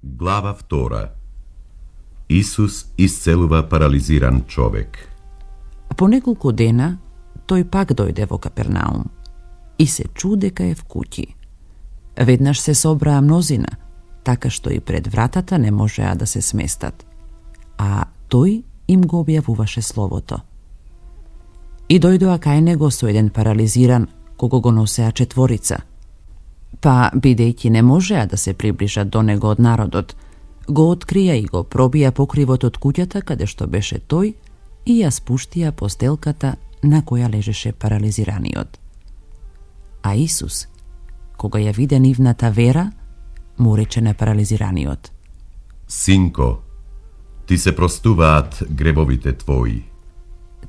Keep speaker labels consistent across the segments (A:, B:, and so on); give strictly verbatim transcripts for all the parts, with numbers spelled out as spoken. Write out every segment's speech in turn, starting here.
A: Глава втора. Исус исцелува парализиран човек.
B: По неколку дена тој пак дојде во Капернаум и се чу дека е в куќи. Веднаш се собраа мнозина, така што и пред вратата не можеа да се сместат, а тој им го објавуваше словото. И дојдоа кај него со еден парализиран, кого го носеа четворица. Па, бидејќи не можеа да се приближат до него од народот, го открија и го пробија покривот од куќата каде што беше тој и ја спуштија постелката на која лежеше парализираниот. А Исус, кога ја виде нивната вера, му рече на парализираниот:
A: Синко, ти се простуваат гребовите твои.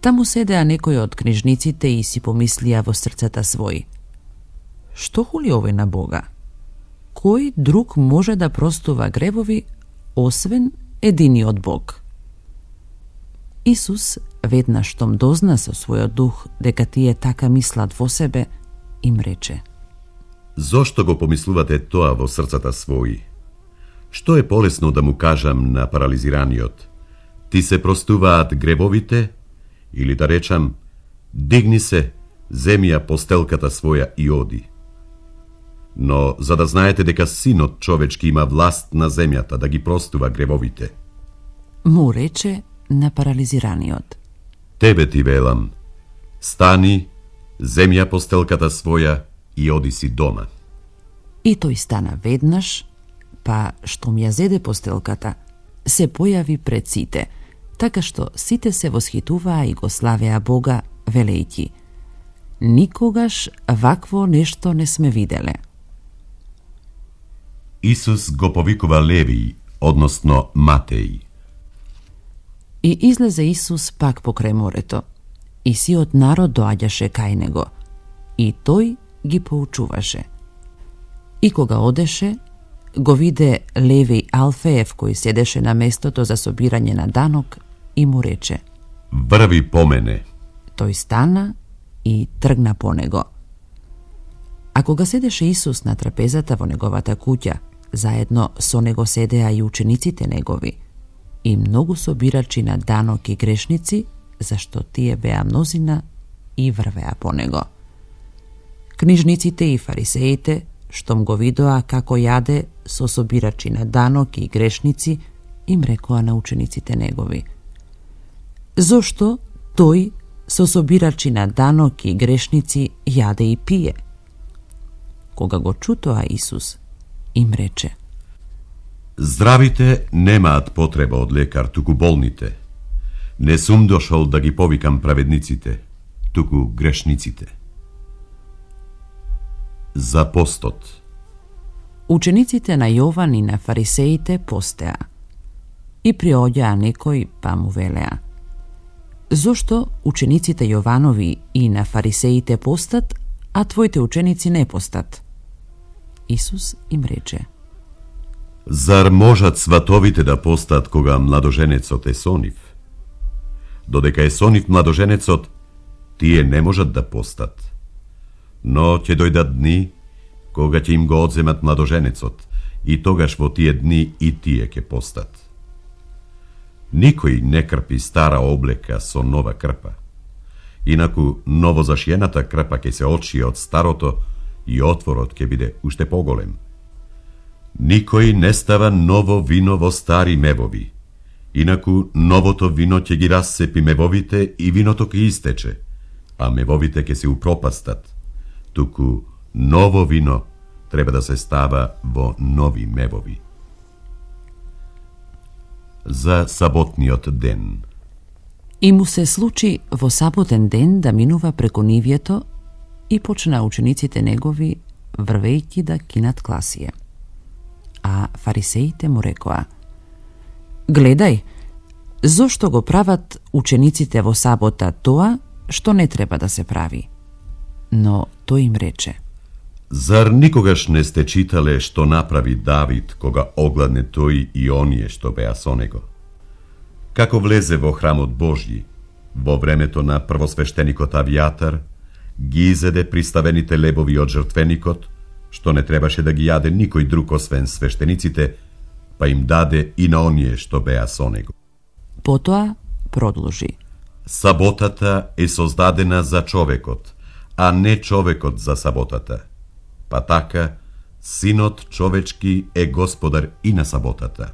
B: Таму седеа некои од книжниците и си помислија во срцата свој: што хули овој на Бога? Кој друг може да простува гревови, освен единиот Бог? Исус, веднаш штом дозна со својот дух дека тие така мислат во себе, им рече:
A: Зошто го помислувате тоа во срцата своји? Што е полесно да му кажам на парализираниот: ти се простуваат гребовите, или да речам: дигни се, земи ја постелката своја и оди? Но за да знаете дека Синот човечки има власт на земјата да ги простува гревовите.
B: Му рече на парализираниот:
A: Тебе ти велам, стани, земи ја постелката своја и оди си дома.
B: И тој стана веднаш, па штом ја зеде постелката, се појави пред сите, така што сите се восхитуваа и го славеа Бога, велејќи: никогаш вакво нешто не сме виделе.
A: Исус го повикува Левиј, односно Матеј.
B: И излезе Исус пак покрај морето, и сиот народ доаѓаше кај него, и тој ги поучуваше. И кога одеше, го виде Левиј Алфеев кој седеше на местото за собирање на данок и му рече:
A: Врви по мене.
B: Тој стана и тргна по него. А кога седеше Исус на трапезата во неговата куќа, заедно со него седеа и учениците негови, и многу собирачи на данок и грешници, зашто тие беа мнозина и врвеа по него. Книжниците и фарисеите, штом го видоа како јаде со собирачи на данок и грешници, им рекоа на учениците негови: зошто тој со собирачи на данок и грешници јаде и пие? Кога го чу тоа Исус, им рече:
A: Здравите немаат потреба од лекар, туку болните. Не сум дошол да ги повикам праведниците, туку грешниците. За постот.
B: Учениците на Јован и на фарисеите постеа. И приоѓаа некој, па му велеа: зошто учениците Јованови и на фарисеите постат, а твоите ученици не постат? Исус им рече:
A: Зар можат сватовите да постат кога младоженецот е со нив? Додека е со нив младоженецот, тие не можат да постат. Но ќе дојдат дни кога ќе им го одземат младоженецот, и тогаш во тие дни и тие ќе постат. Никој не крпи стара облека со нова крпа. Инаку ново зашиената крпа ќе се очие од старото и отворот ќе биде уште поголем. Никој не става ново вино во стари мевови, инаку новото вино ќе ги рассепи мевовите и виното ќе истече, а мевовите ќе се упропастат, туку ново вино треба да се става во нови мевови. За саботниот ден.
B: И му се случи во саботен ден да минува преку нивјето и почна учениците негови врвејќи да кинат класие. А фарисеите му рекоа: гледај, зошто го прават учениците во сабота тоа што не треба да се прави? Но тој им рече:
A: Зар никогаш не сте читале што направи Давид кога огладне тој и оние што беа со него? Како влезе во храмот Божји, во времето на првосвештеникот Авијатар, ги изеде приставените лебови од жртвеникот, што не требаше да ги јаде никој друг освен свештениците, па им даде и на оние што беа со него.
B: Потоа продолжи.
A: Саботата е создадена за човекот, а не човекот за саботата. Па така, Синот човечки е господар и на саботата.